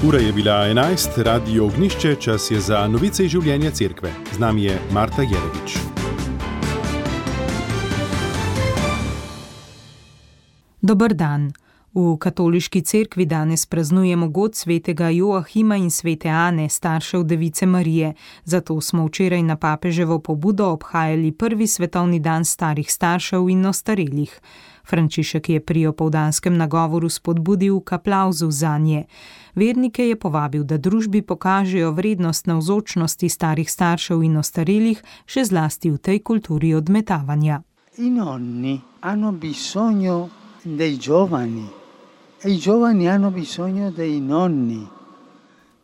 Ura je bila 11, Radio Ognjišče, čas je za novice iz življenja cerkve. Z nami je Marta Jerevič. Dober dan. V katoliški cerkvi danes praznujemo god svetega Joahima in svete Ane, staršev Device Marije. Zato smo včeraj na papeževo pobudo obhajali prvi svetovni dan starih staršev in ostarelih. Frančišek je pri opoldanskem nagovoru spodbudil k aplavzu zanje. Vernike je povabil, da družbi pokažejo vrednost navzočnosti starih staršev in ostarelih, še zlasti v tej kulturi odmetavanja. I nonni hanno bisogno dei giovani e i giovani hanno bisogno dei nonni.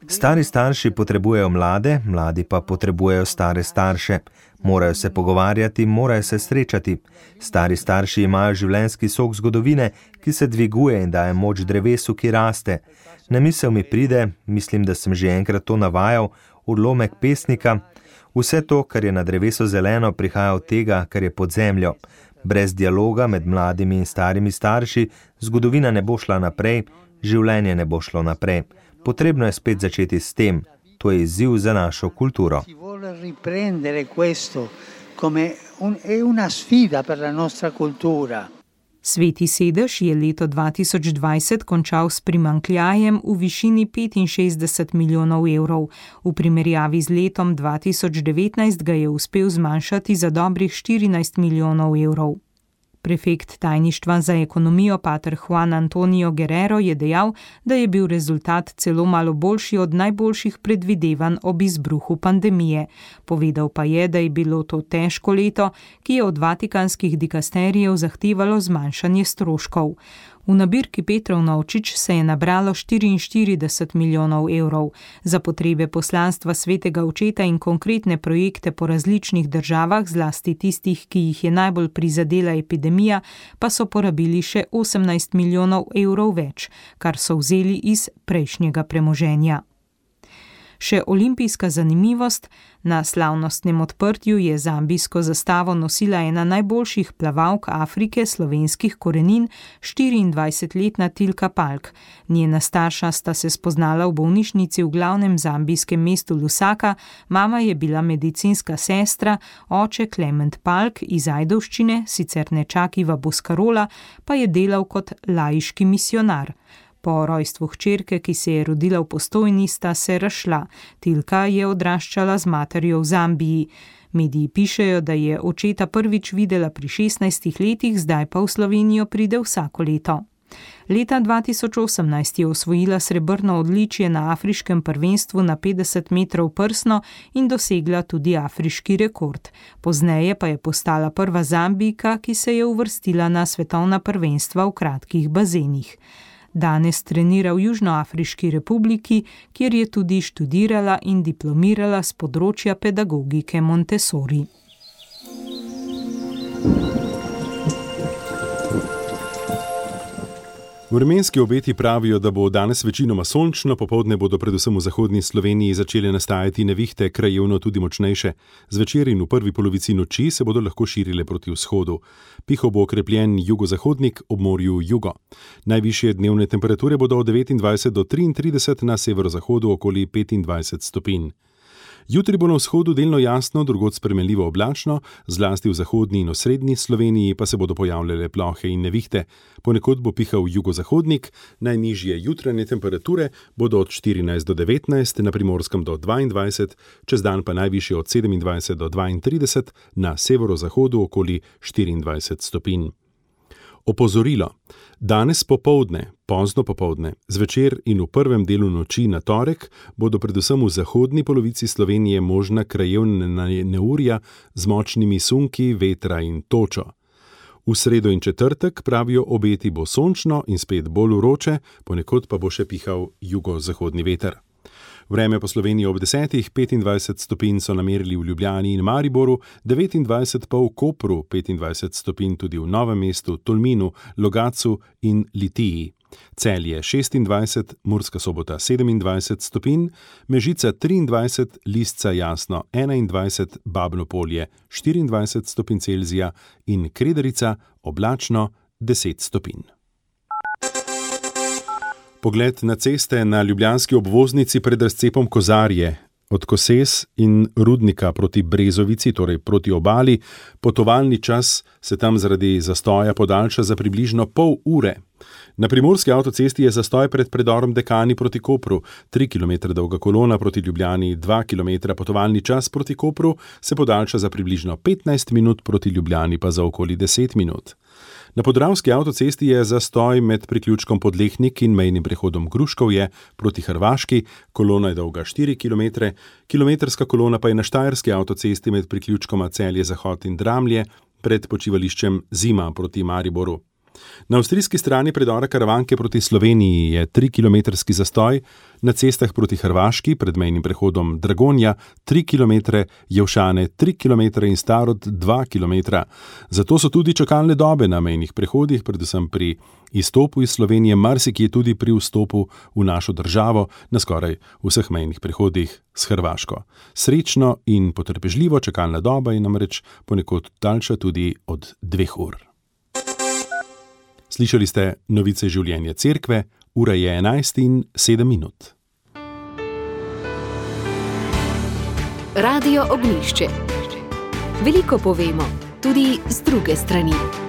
Stari starši potrebujejo mlade, mladi pa potrebujejo stare starše. Morajo se pogovarjati, morajo se srečati. Stari starši imajo življenjski sok zgodovine, ki se dviguje in daje moč drevesu, ki raste. Na misel mi pride, mislim, da sem že enkrat to navajal, odlomek pesnika. Vse to, kar je na drevesu zeleno, prihaja od tega, kar je pod zemljo. Brez dialoga med mladimi in starimi starši zgodovina ne bo šla naprej, življenje ne bo šlo naprej. Potrebno je spet začeti s tem. To je izziv za našo kulturo. Sveti sedež je leto 2020 končal s primanjkljajem v višini 65 milijonov evrov. V primerjavi z letom 2019 ga je uspel zmanjšati za dobrih 14 milijonov evrov. Prefekt tajništva za ekonomijo pater Juan Antonio Guerrero je dejal, da je bil rezultat celo malo boljši od najboljših predvidevanj ob izbruhu pandemije. Povedal pa je, da je bilo to težko leto, ki je od vatikanskih dikasterijev zahtevalo zmanjšanje stroškov. V nabirki Petrov Novčič se je nabralo 44 milijonov evrov. Za potrebe poslanstva svetega očeta in konkretne projekte po različnih državah, zlasti tistih, ki jih je najbolj prizadela epidemija, pa so porabili še 18 milijonov evrov več, kar so vzeli iz prejšnjega premoženja. Še olimpijska zanimivost, na slavnostnem odprtju je zambijsko zastavo nosila ena najboljših plavalk Afrike slovenskih korenin, 24-letna Tilka Palk. Njena starša sta se spoznala v bolnišnici v glavnem zambijskem mestu Lusaka, mama je bila medicinska sestra, oče Klement Palk iz Ajdovščine, sicer nečak Iva Boskarola, pa je delal kot laiški misionar. Po rojstvu hčerke, ki se je rodila v Postojni, sta se razšla. Tilka je odraščala z materjo v Zambiji. Mediji pišejo, da je očeta prvič videla pri 16 letih, zdaj pa v Slovenijo pride vsako leto. Leta 2018 je osvojila srebrno odličje na afriškem prvenstvu na 50 metrov prsno in dosegla tudi afriški rekord. Pozneje pa je postala prva Zambijka, ki se je uvrstila na svetovna prvenstva v kratkih bazenih. Danes trenira v Južnoafriški republiki, kjer je tudi študirala in diplomirala s področja pedagogike Montessori. Vremenski obeti pravijo, da bo danes večinoma sončno, popoldne bodo predvsem v zahodni Sloveniji začele nastajati nevihte, krajevno tudi močnejše. Zvečer in v prvi polovici noči se bodo lahko širile proti vzhodu. Pihal bo okrepljen jugozahodnik, ob morju jugo. Najvišje dnevne temperature bodo od 29 do 33, na severozahodu okoli 25 stopinj. Jutri bo na vzhodu delno jasno, drugod spremenljivo oblačno, zlasti v zahodni in osrednji Sloveniji pa se bodo pojavljale plohe in nevihte. Ponekod bo pihal jugozahodnik, najnižje jutranje temperature bodo od 14 do 19, na Primorskem do 22, čez dan pa najvišje od 27 do 32, na severozahodu okoli 24 stopinj. Opozorilo. Danes popoldne, pozno popoldne, zvečer in v prvem delu noči na torek bodo predvsem v zahodni polovici Slovenije možna krajevna neurja z močnimi sunki, vetra in točo. V sredo in četrtek, pravijo obeti, bo sončno in spet bolj vroče, ponekod pa bo še pihal jugozahodni veter. Vreme po Sloveniji ob 10, 25 stopinj so namerili v Ljubljani in Mariboru, 29 pa v Kopru, 25 stopinj tudi v Novem mestu, Tolminu, Logatcu in Litiji. Celje 26, Murska Sobota 27 stopinj, Mežica 23, Lisca jasno 21, Babno Polje 24 stopinj Celzija in Kredarica oblačno 10 stopinj. Pogled na ceste na ljubljanski obvoznici pred razcepom Kozarje. Od Koses in Rudnika proti Brezovici, torej proti obali, potovalni čas se tam zaradi zastoja podaljša za približno pol ure. Na primorski avtocesti je zastoj pred predorom Dekani proti Kopru, 3 km dolga kolona proti Ljubljani, 2 km potovalni čas proti Kopru se podaljša za približno 15 minut, proti Ljubljani pa za okoli 10 minut. Na podravski avtocesti je zastoj med priključkom Podlehnik in mejnim prehodom Gruškovje proti Hrvaški, kolona je dolga 4 km, kilometrska kolona pa je na štajerski avtocesti med priključkoma Celje-Zahod in Dramlje pred počivališčem Zima proti Mariboru. Na avstrijski strani predora Karavanke proti Sloveniji je 3-kilometrski zastoj, na cestah proti Hrvaški pred mejnim prehodom Dragonja 3 km, Jevšane 3 km in Starod 2 km. Zato so tudi čakalne dobe na mejnih prehodih, predvsem pri izstopu iz Slovenije, marsikje tudi pri vstopu v našo državo na skoraj vseh mejnih prehodih s Hrvaško. Srečno in potrpežljivo, čakalna doba je namreč ponekod daljša tudi od 2 ur. Slišali ste novice življenja cerkve, ura je 11:07. Radio Ognjišče. Veliko povemo, tudi z druge strani.